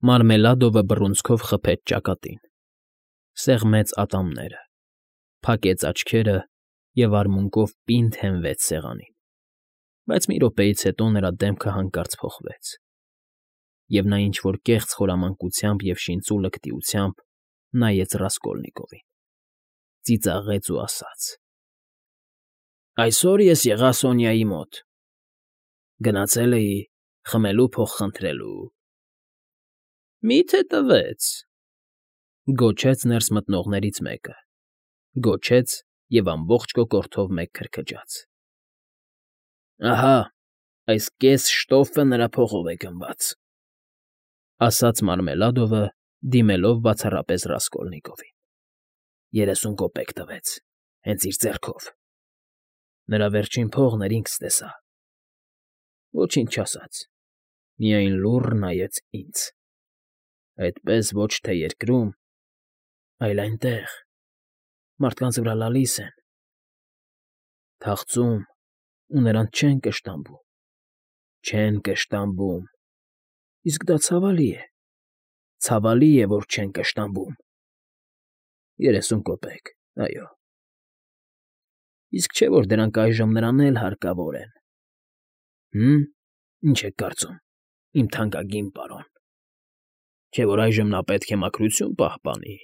Մարմելադովը բռունցքով խփեց ճակատին, սեղմեց ատամները, փակեց աչքերը և արմունկով պինդ հենվեց սեղանին, բայց մի րոպեից հետո նրա դեմքը հանկարծ փոխվեց, և նա ինչ֊որ կեղծ խորամանկությամբ և շինծուլկտիությամբ նայեց Ռասկոլնիկովին, ծիծաղեց ու ասաց. «Այսօր ես եղա Սոնյայի մոտ, գնացել էի խմելու փող խնդրելու»։ «Մի՞թե տվեց,֊ գոչեց ներս մտնողներից մեկը, գոչեց և ամբողջ կոկորդով մեկ քրքջաց։ «Ահա, այս կես շտոֆը նրա փողով է գնված», ասաց Մարմելադովը, դիմելով բացառապես Ռասկոլնիկովին։ 30 կոպեկ տվեց, հենց իր ձեռքով։ Նրա վերջին փողն էր, ինքս տեսա։ Ոչինչ չասաց, միայն լուռ նայեց ինձ։ Այդպես ոչ թե երկրում, այլ այնտեղ, մարդկանց վրա լալիս են, թախծում ու նրանց չեն կշտամբում, չեն կշտամբում, իսկ դա ցավալի է, որ չեն կշտամբում։ 30 կոպեկ, այո։ Իսկ չէ՞ որ դրանք այժմ նրան էլ հարկավոր են։ Ինչ եք կարծում, իմ թանկագին պարոն, չէ՞ որ այժմ նա պետք է մաքրություն պահպանի։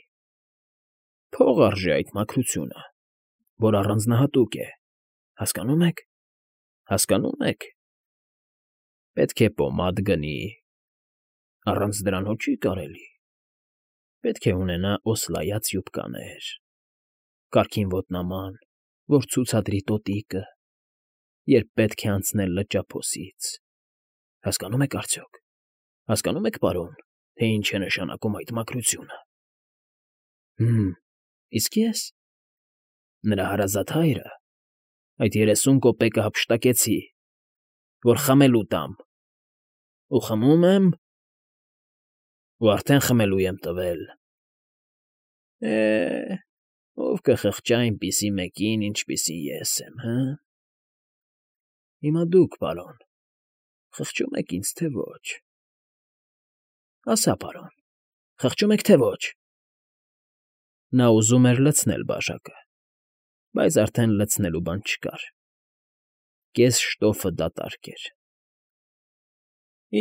Փող արժե այդ մաքրությունը, որ առանձնահատուկ է, հասկանո՞ւմ եք, հասկանո՞ւմ եք։ Պետք է պոմադ գնի, առանց դրանով չի կարելի։ Պետք է ունենա օսլայած յուբկաներ, կարգին ոտնաման, որ ցուցադրի տոտիկը, երբ պետք է անցնել լճափոսից։ Հասկանո՞մ եք արդյոք, հասկանո՞մ եք, պարոն, թե ինչ է նշանակում այդ մաքրությունը։ Իսկ ես, նրա հարազատ հայրը, այդ 30 կոպեկը հափշտակեցի, որ խմելու տամ, ու խմում եմ, ու արդեն խմելու եմ տվել։ Ով կխղճա այնպիսի մեկին, ինչպիսի ես եմ, հը՞։ Հիմա դուք, պարոն, խղճո՞ւմ եք ինձ, թե ոչ։ Ասա, պարոն, խղճո՞ւմ եք, թե ոչ։ Նա ուզում էր լցնել բաժակը, բայց արդեն լցնելու բան չկար։ Կես շտոֆը դատարկ էր։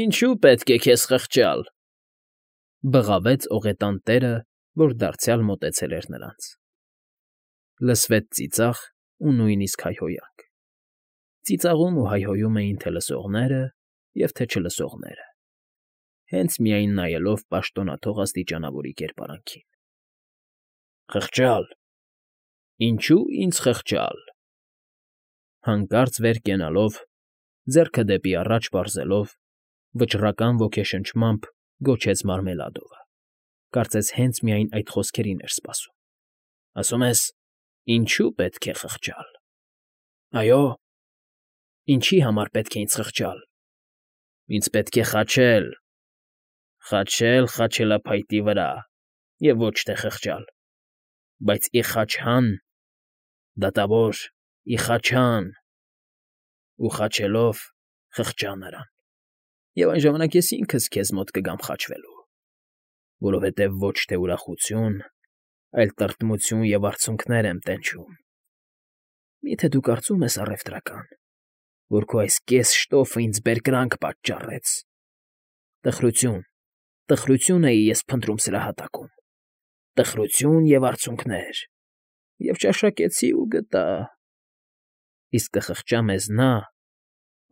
Ինչո՞ւ պետք է քեզ խղճալ,֊ բղավեց օղետան տերը, որ դարձյալ մոտեցել էր նրանց։ Լսվեց ծիծաղ ու նույնիսկ հայհոյանք։ Ծիծաղում ու հայհոյում էին թե լսողները և թե չլսողները, հենց միայն նայելով պաշտոնաթող աստիճանավորի կերպարանքին։ Խղճալ… Ինչո՞ւ ինձ խղճալ,֊ հանկարծ վեր կենալով, ձեռքը դեպի առաջ պարզելով, վճռական ոգեշնչմամբ գոչեց Մարմելադովը, կարծես հենց միայն այդ խոսքերին էր սպասում։ Ասում ես, ինչո՞ւ պետք է խղճալ։ Այո, ինչի համար պետք է ինձ խղճալ։ Ինձ պետք է խաչել, խաչել խաչելափայտի վրա և ոչ թե խղճալ, բայց իխաչհան, դատավոր իխաչհան, ու խաչելով խղճա նրան, և այն ժամանակ ես ինքս քեզ մոտ կգամ խաչվելու, որովհետև ոչ թե ուրախություն, այլ տրտմություն և արցունքներ եմ տենչում։ Մի՞թե դու կարծում ես, առևտրական, որ քո այս կես շտոֆը ինձ բերկրանք պատճառեց։ Տխրություն, տխրություն էի ես փնտրում սրա հատակում, տխրություն և արցունքներ, և ճաշակեցի ու գտա։ Իսկ կխղճա մեզ նա,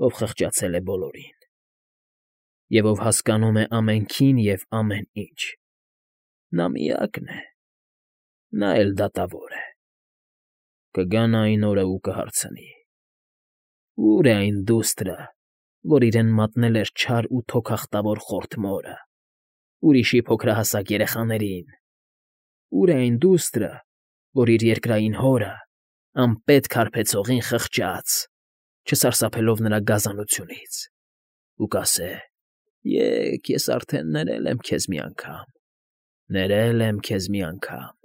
ով խղճացել է բոլորին, և ով հասկանում է ամենքին և ամեն ինչ. նա միակն է, նա էլ դատավոր է։ Կգա նա այն օրը ու կհարցնի. «Ո՞ւր է այն դուստրը, որ իրեն մատնել էր չար ու թոքախտավոր խորթ մորը, ուրիշի փոքրահասակ երեխաներին. ո՞ւր է այն դուստրը, որ իր երկրային հորը, անպետք հարբեցողին խղճաց, չսարսափելով նրա գազանությունից, ու կասե. «Եկ, ես արդեն ներել եմ քեզ մի անգամ, ներել եմ քեզ մի անգամ»։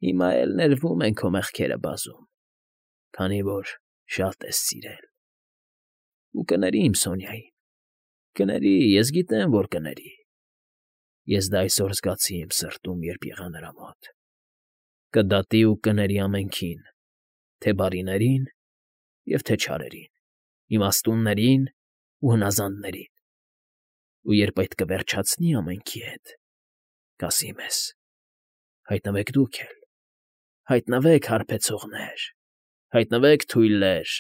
Հիմա էլ ներվում են քո մեղքերը բազում, քանի որ շատ ես սիրել։ Ու կների իմ Սոնյային, կների, ես գիտեմ, որ կների։ Ես դա այսօր զգացի իմ սրտում, երբ եղա նրա մոտ. կդատի ու կների ամենքին, թե բարիներին և թե չարերին, իմաստուններին ու հնազանդներին, ու երբ այդ կվերջացնի ամենքի հետ, կասի մեզ. հայտնվեք դուք էլ, հայտնվեք հարբեցողներ, հայտնվեք թույլեր,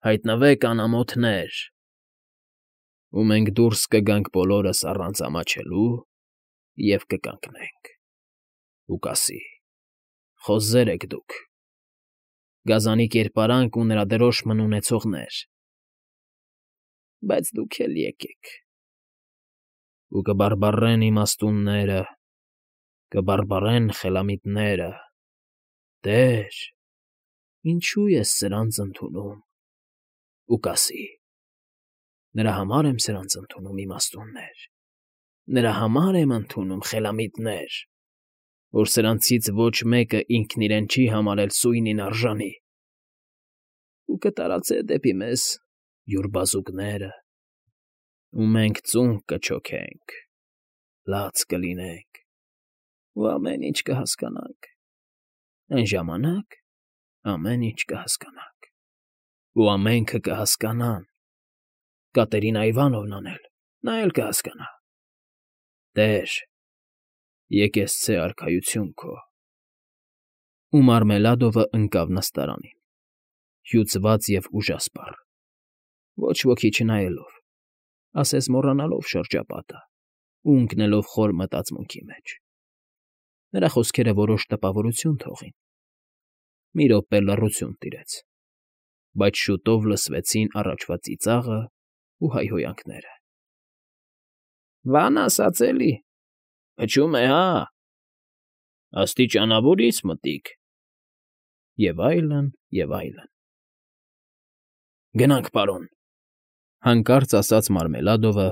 հայտնվեք անամոթներ, ու մենք դուրս կգանք բոլորս առանց ամաչելու և կկանգնենք, ու կասի. խոզեր եք դուք, գազանի կերպարանք ու նրա դրոշմն ունեցողներ, բայց դուք էլ եկեք, ու կբառբառեն իմաստունները, կբառբառեն խելամիտները. «Տե՛ր, ինչո՞ւ ես սրանց ընդունում», ու կասի. «Նրա համար եմ սրանց ընդունում, իմաստուններ, նրա համար եմ ընդունում, խելամիտներ, որ սրանցից ոչ մեկը ինքն իրեն չի համարել սույնին արժանի, ու կտարածե դեպի մեզ յուր բազուկները, ու մենք ծունկ կչոքենք, լաց կլինենք, ու ամեն ինչ կհասկանանք, այն ժամանակ ամեն ինչ կհասկանանք, ու ամենքը կհասկանան, Կատերինա Իվանովնան էլ, նա էլ կհասկանա. Տեր, եկեսցե արքայություն քո»։ Ու Մարմելադովը ընկավ նստարանին, հյուծված և ուժասպառ, ոչ ոքի չնայելով, ասես մոռանալով շրջապատը ու ընկնելով խոր մտածմունքի մեջ. նրա խոսքերը որոշ տպավորություն թողին, մի րոպե լռություն տիրեց, բայց շուտով լսվեցին առաջվա ծիծաղը ու հայհոյանքները. «Բան ասած էլի, փչում է, հա, աստիճանավորից մտիկ», և այլն, և այլն։ «Գնանք, պարոն», հանկարծ ասաց Մարմելադովը,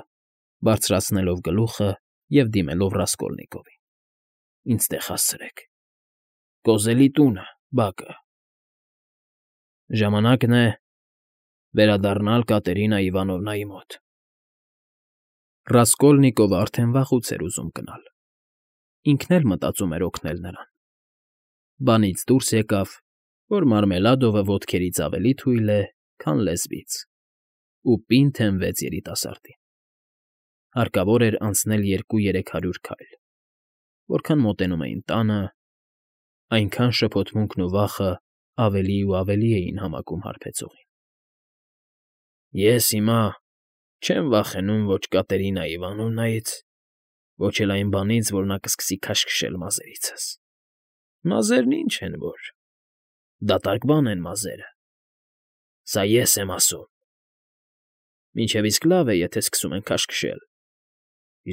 բարձրացնելով գլուխը և դիմելով Ռասկոլնիկովին. «Ինձ տեղ հասցրեք, կոզելի տունը, բակը, ժամանակն է վերադառնալ Կատերինա Իվանովնայի մոտ»։ Ռասկոլնիկովը արդեն վաղուց էր ուզում գնալ, ինքն էլ մտածում էր օգնել նրան, բանից դուրս եկավ, որ Մարմելադովը ոտքերից ավելի թույլ է, քան լեզվից, ու պինդ հենվեց երիտասարդին. հարկավոր էր անցնել 200-300 քայլ, որքան մոտենում էին տանը, այնքան շփոթմունքն ու վախը ավելի ու ավելի էին համակում հարբեցողին։ «Ես հիմա չեմ վախենում ոչ Կատերինա Իվանովնայից, ոչ էլ այն բանից, որ նա կսկսի քաշքշել մազերիցս։ Մազերն ինչ են որ, դատարկ բան են մազերը, սա ես եմ ասում։ Մինչև իսկ լավ է, եթե սկսում են քաշքշել,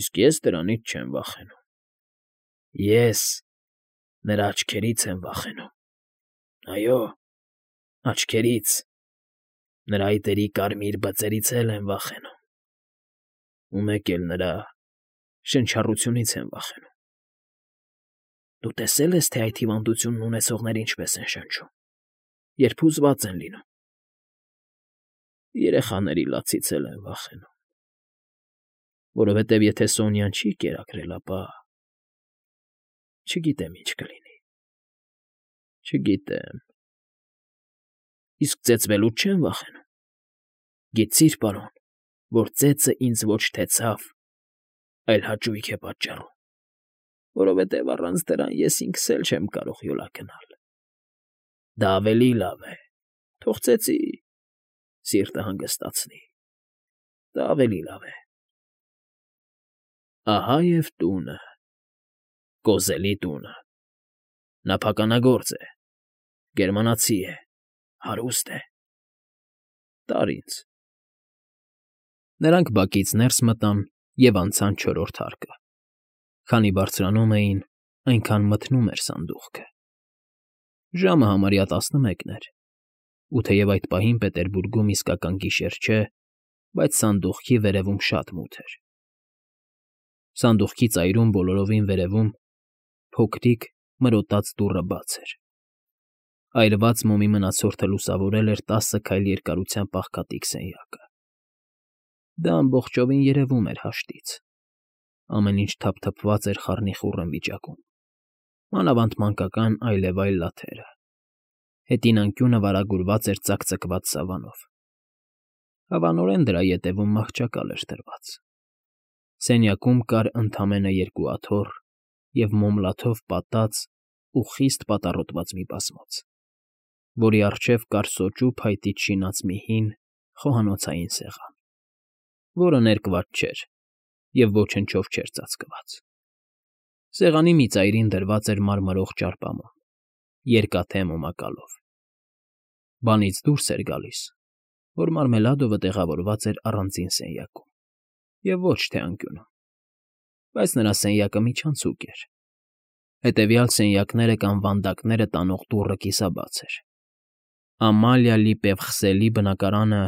իսկ ես դրանից չեմ վախենում։ Ես նրա աչքերից եմ վախենում, այո, աչքերից, նրա այտերի կարմիր բծերից էլ եմ վախենում, ու մեկ էլ նրա շնչառությունից եմ վախենում։ Դու տեսե՞լ ես, թե այդ հիվանդությունն ունեցողները ինչպես են շնչում, երբ հուզված են լինում։ Երեխաների լացից էլ եմ վախենում, որովհետև եթե Սոնյան չի կերակրել, ապա… չգիտեմ ինչ կլինի, չգիտեմ։ Իսկ ծեծվելուց չեմ վախենում։ Գիտցի՞ր, պարոն, որ ծեծը ինձ ոչ թե ցավ, այլ հաճույք է պատճառում, որովհետև առանց դրան ես ինքս էլ չեմ կարող յոլա գնալ։ Դա ավելի լավ է, թող ծեծի, սիրտը հանգստացնի, դա ավելի լավ է։ Ահա և տունը, կոզելի տունը, նա փականագործ է, գերմանացի է, հարուստ է, տար ինձ։ Նրանք բակից ներս մտան և անցան չորրորդ հարկը, քանի բարձրանում էին, այնքան մթնում էր սանդուղքը։ Ժամը համարյա 11 էր, ու թեև այդ պահին Պետերբուրգում իսկական գիշեր չէ, բայց սանդուղքի վերևում շատ մութ էր։ Սանդուղքի ծայրում բոլորովին վերևում փոքրիկ մրոտած դուռը բաց էր։ Այրված մոմի մնացորդը լուսավորել էր 10 քայլ երկարությամբ աղքատիկ սենյակը։ Դա ամբողջովին երևում էր հաշտից, Ամեն ինչ թափթփված էր խառնիխուռն վիճակում, մանավանդ մանկական այլևայլ լաթերը, հետին անկյունը վարագուրված էր ծակծկված սավանով. հավանորեն դրա ետևում մահճակալ էր դրված։ Սենյակում կար ընդամենը երկու աթոռ և մոմլաթով պատած ու խիստ պատառոտված մի բազմոց, որի առջև կար սոճու փայտից շինած մի հին, խոհանոցային սեղան, որը ներկված չէր և ոչնչով չէր ծածկված։ Սեղանի մի ծայրին դրված էր մարմրող ճարպամոմ, երկաթե մոմակալով։ Բանից դուրս էր գալիս, որ Մարմելադովը տեղավորված էր առանձին սենյակում և ոչ թե անկյունում, բայց նրա սենյակը միջանցուկ էր, հետևյալ սենյակները կամ վանդակները տանող դուռը կիսաբաց էր։ Ամալիա Լիպևխսելի բնակարանը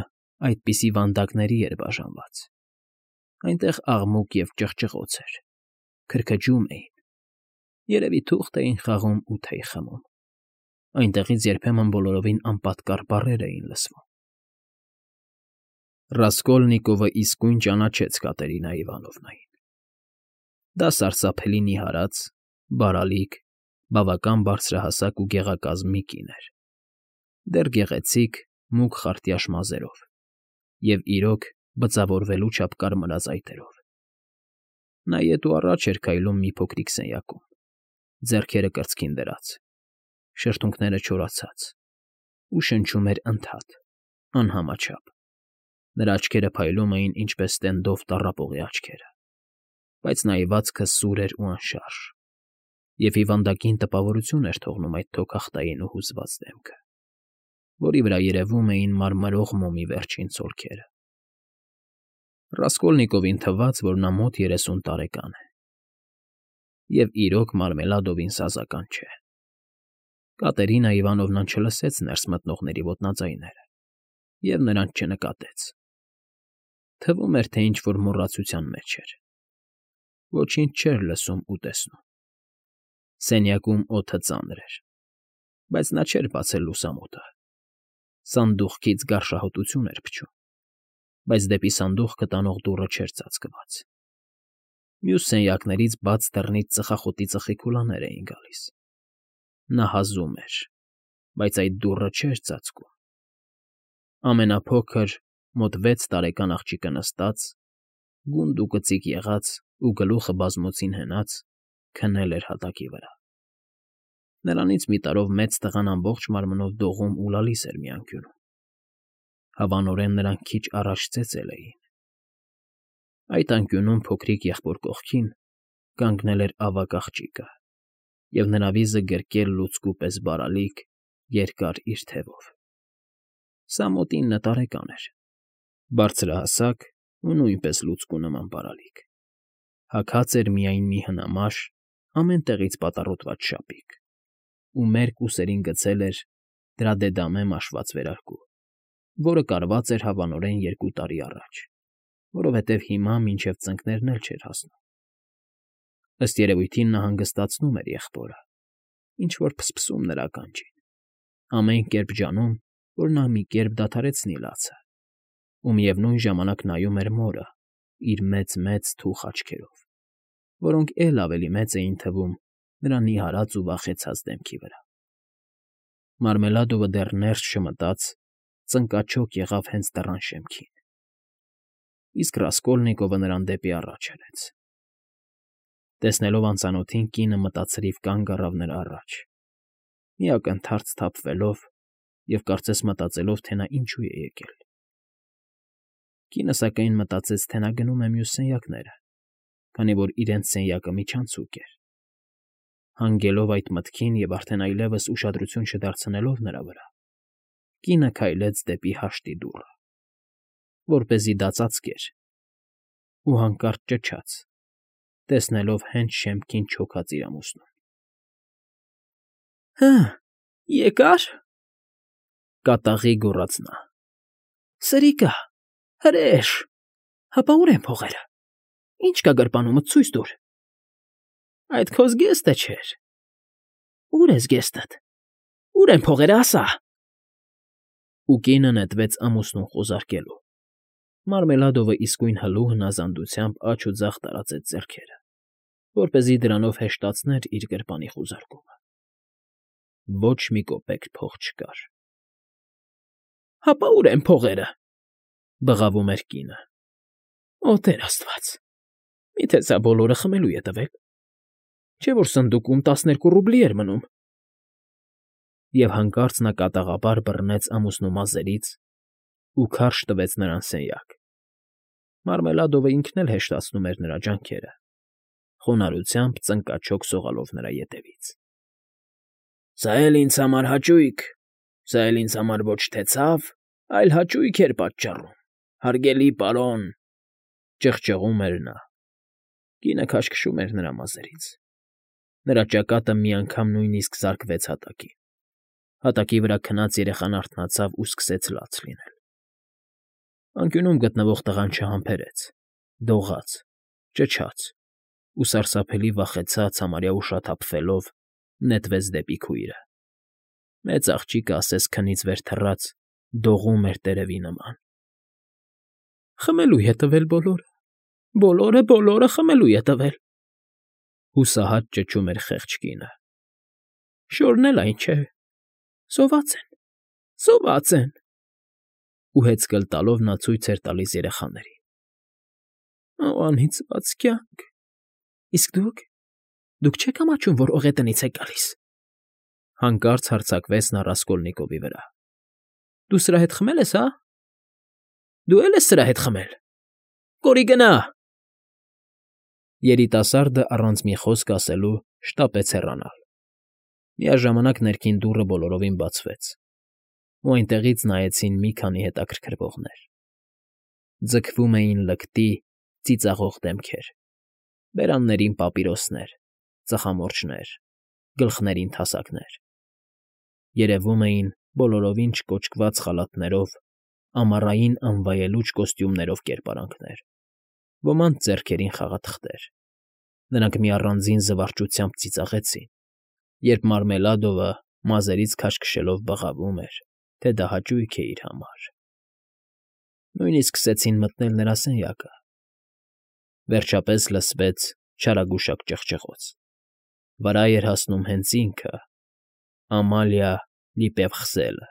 այդպիսի վանդակների էր բաժանված։ Այնտեղ աղմուկ և ճղճղոց էր, քրքջում էին, երևի թուղթ էին խաղում ու թեյ խմում։ Այնտեղից երբեմն բոլորովին անպատկառ բառեր էին լսվում։ Ռասկոլնիկովը իսկույն ճանաչեց Կատերինա Իվանովնային։ Դա սարսափելի նիհարած, բարալիկ, բավական բարձրահասակ ու գեղակազմ մի կին էր, դեռ գեղեցիկ, մուգ խարտյաշ մազերով և, իրոք, բծավորվելու չափ կարմրած այտերով։ Նա ետ ու առաջ էր քայլում մի փոքրիկ սենյակում, ձեռքերը կրծքին դրած, շրթունքները չորացած, ու շնչում էր ընդհատ, անհամաչափ։ Նրա աչքերը փայլում էին ինչպես Ստենդոֆ տառապողի աչքերը, բայց նայվածքը սուր էր ու անշարժ, և հիվանդակին տպավորություն էր թողնում այդ թոքախտային ու հուզված դեմքը, որի վրա երևում էին մարմրող մոմի վերջին ցոլքերը։ Ռասկոլնիկովին թվաց, որ նա մոտ 30 տարեկան է, և, իրոք, Մարմելադովին սազական չէ։ Կատերինա Իվանովնան չլսեց ներս մտնողների ոտնաձայները և նրանց չնկատեց։ Թվում էր, թե ինչ֊որ մոռացության մեջ էր։ Ոչինչ չէր լսում ու տեսնում։ Սենյակում օդը ծանր էր, բայց նա չէր բացել լուսամուտը։ Սանդուղքից գարշահոտություն էր փչում, բայց դեպի սանդուղքը տանող դուռը չէր ծածկված։ Մյուս սենյակներից բաց դռնից ծխախոտի ծխիքուլաներ էին գալիս։ Նա հազում էր, բայց այդ դուռը չէր ծածկում։ Ամենափոքր, մոտ 6 տարեկան աղջիկը նստած, գունդ ու կծիկ եղած ու գլուխը բազմոցին հենած, քնել էր հատակի վրա։ Նրանից մի տարով մեծ տղան ամբողջ մարմնով դողում ու լալիս էր մի անկյունում։ Հավանորեն նրանք քիչ առաջ ծեծել էին։ Այդ անկյունում փոքրիկ եղբոր կողքին կանգնել էր ավագ աղջիկը, և նրա վիզը գրկել լուցկու պես բարալիկ, երկար իր թևով։ Սա մոտ 9 տարեկան էր, բարձրահասակ ու նույնպես լուցկու նման բարալիկ։ Հագած էր միայն մի հնամաշ, ամեն տեղից պատառոտված շապիկ ու մերկ ուսերին գցել էր դրա դედամե մաշված վերարկու, որը կարված էր հավանորեն 2 տարի առաջ, որովհետև հիմա մինչև ծնկներն էլ չէր հասնում։ Ըստ երևույթին նա հանգստացնում էր եղբորը, ինչ֊որ փսփսում նրա ականջին, ամեն կերպ ջանում, որ նա մի կերպ դադարեցնի լացը, ու միևնույն ժամանակ նայում էր մորը իր մեծ թուխ աչքերով, որոնք էլ ավելի մեծ էին թվում նրա նիհարած ու վախեցած դեմքի վրա։ Մարմելադովը դեռ ներս չմտած, ծնկաչոք եղավ հենց դռան շեմքին, իսկ Ռասկոլնիկովը նրան դեպի առաջ հրեց։ Տեսնելով անծանոթին, կինը մտածրիվ կանգ առավ նրա առաջ, մի ակնթարթ սթափվելով և կարծես մտածելով, թե նա ինչու է եկել։ Կինը, սակայն, մտածեց, թե նա գնում է մյուս սենյակները, քանի որ իրենց սենյակը միջանցուկ էր։ Հանգելով այդ մտքին և արդեն այլևս ուշադրություն չդարձնելով նրա վրա, կինը քայլեց դեպի հաշտի դուռը, որպեսզի դա ծածկեր, ու հանկարծ ճչաց, տեսնելով հենց շեմքին չոքած իր ամուսնուն։ ֊ Հը, եկա՞ր,֊ կատաղի գոռաց նա։֊ Սրիկա, հրե՛շ, հապա ուր են փողերը, ինչ կա գրպանումդ, ցույց տուր։ Այդ քո զգեստը չէր։ Ո՞ւր է զգեստդ, ո՞ւր են փողերը, ասա։ Ու կինը նետվեց ամուսնուն խոզարկելու։ Մարմելադովը իսկույն հլու հնազանդությամբ աջ ու ձախ տարածեց ձեռքերը։ որպեսզի դրանով հեշտացներ իր գրպանի խուզարկումը։ Ոչ մի կոպեկ փող չկար։ «Հապա ուր են փողերը», բղավում էր կինը։ «Օ, Տեր Աստված, միթե սա բոլորը խմելու է տվել, չէ՞ որ սնդուկում 12 ռուբլի էր մնում»։ Եվ հանկարծ նա կատաղաբար բռնեց ամուսնու մազերից ու քարշ տվեց նրան սենյակ։ Մարմելադովը ինքն էլ հեշտացնում էր նրա ջանքերը, խոնարհությամբ ծնկաչոք սողալով նրա ետևից։ «Սա էլ ինձ համար հաճույք, սա էլ ինձ համար ոչ թե ցավ, այլ հաճույք էր պատճառում, հարգելի պարոն», ճղճղում էր նա։ Կինը քաշքշում էր նրա մազերից։ Նրա ճակատը մի անգամ նույնիսկ զարկվեց հատակին։ Հատակի վրա քնած երեխան արթնացավ ու սկսեց լաց լինել։ Անկյունում գտնվող տղան չհամբերեց, դողաց, ճչաց ու սարսափելի վախեցած, համարյա ուշաթափվելով նետվեց դեպի քույրը։ Մեծ աղջիկը ասես քնից վեր թռած դողում էր տերևի նման։ «Խմելու է տվել բոլորը, բոլորը խմելու է տվել», հուսահատ ճչում էր խեղճ կինը։ «Շորն էլ այն չէ, սոված են», ու հեծկլ տալով նա ցույց էր տալիս երեխաներին։ «Օ, անիծված կյանք, իսկ դուք չեք ամաչում, որ օղետնից եք գալիս», հանկարծ հարձակվեց նա Ռասկոլնիկովի վրա։ «Դու սրա հետ խմել ես, հա՞։ Դու էլ ես սրա հետ խմել։ Կորի գնա»։ Երիտասարդը առանց մի խոսք ասելու շտապեց հեռանալ։ Միաժամանակ ներքին դուռը բոլորովին բացվեց, ու այնտեղից նայեցին մի քանի հետաքրքրվողներ։ Ձգվում էին լկտի, ծիծաղող դեմքեր, բերաններին պապիրոսներ, ծխամորճներ, գլխներին թասակներ։ Երևում էին բոլորովին չկոճկված խալաթներով, ամառային անվայելուչ կոստյումներով կերպարանքներ, ոմանց ձեռքերին խաղաթղթեր։ Նրանք մի առանձին զվարճությամբ ծիծաղեցին, երբ Մարմելադովը մազերից քաշքշելով բղավում էր, թե դա հաճույք է իր համար։ Նույնիսկ սկսեցին մտնել նրա սենյակը։ Վերջապես լսվեց չարագուշակ ճղճղոց։ Վրա էր հասնում հենց ինքը, Ամալիա Լիպևխսելը,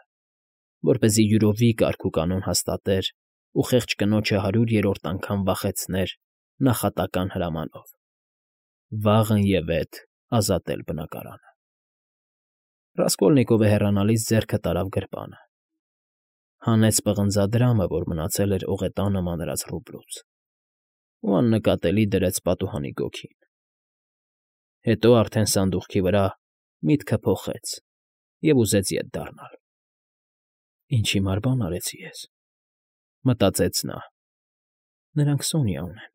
որպեսզի յուրովի կարգուկանոն հաստատեր ու խեղճ կնոջը 100-րդ անգամ վախեցներ նախատական հրամանով՝ վաղըն ազատել բնակարանը։ Ռասկոլնիկովը հեռանալիս ձեռքը տարավ գրպանը, հանեց պղնձադրամը, որ մնացել էր օղետանը մանրած ռուբլուց, ու աննկատելի դրեց պատուհանի գոգին։ Հետո արդեն սանդուղքի վրա միտքը փոխեց և ուզեց ետ դառնալ։ «Ինչ հիմար բան արեցի ես», մտածեց նա։ «Նրանք Սոնյա ունեն,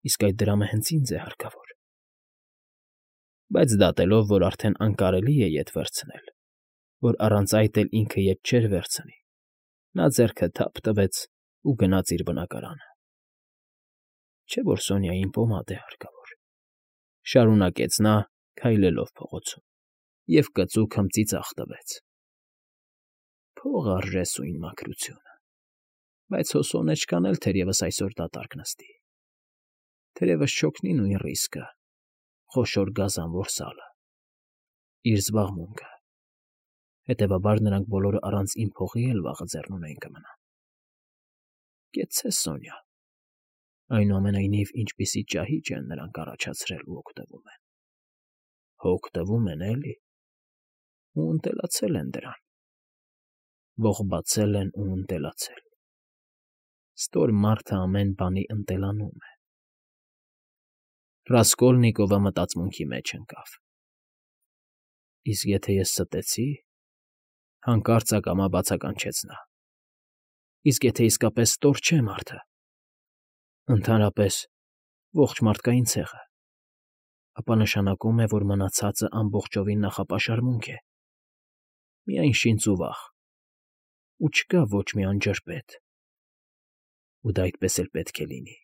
իսկ այդ դրամը հենց ինձ է հարկավոր»։ Բայց դատելով, որ արդեն անկարելի է ետ վերցնել, որ առանց այդ էլ ինքը ետ չէր վերցնի, նա ձեռքը թափ տվեց ու գնաց իր բնակարանը։ «Չէ՞ որ Սոնյային պոմադ է հարկավոր», շարունակեց նա, քայլելով փողոցում, և կծու քմծիծաղ տվեց։ «Փող արժե սույն մաքրությունը, բայց հո սոնեչկան էլ թերևս այսօր դատարկ նստի, թերևս չօգնի նույն ռիսկը, խոշոր գազանվոր սալը, իր զբաղմունքը, հետևաբար նրանք բոլորը առանց իմ փողի էլ վաղը ձեռնունայն կմնան։ Կեցցե, Սոնյա, այնուամենայնիվ ինչպիսի ճահիճ են նրանք առաջացրել ու օգտվում են։ Հո օգտվում են, էլի, ու ընտելացել են դրան, ողբացել են ու ընտելացել։ Ստոր մարդը ամեն բանի ընտելանում է»։ Ռասկոլնիկովը մտածմունքի մեջ ընկավ։ «Իսկ եթե ես ստեցի», հանկարծ ակամա բացականչեց նա։ «Իսկ եթե իսկապես ստոր չէ մարդը, ընդհանրապես ողջ մարդկային ցեղը, ապա նշանակում է, որ մնացածը ամբողջովին նախապաշարմունք է, միայն շինծ ու վախ, ու չկա ոչ մի անջրպետ, ու դա այդպես էլ պետք է լինի»։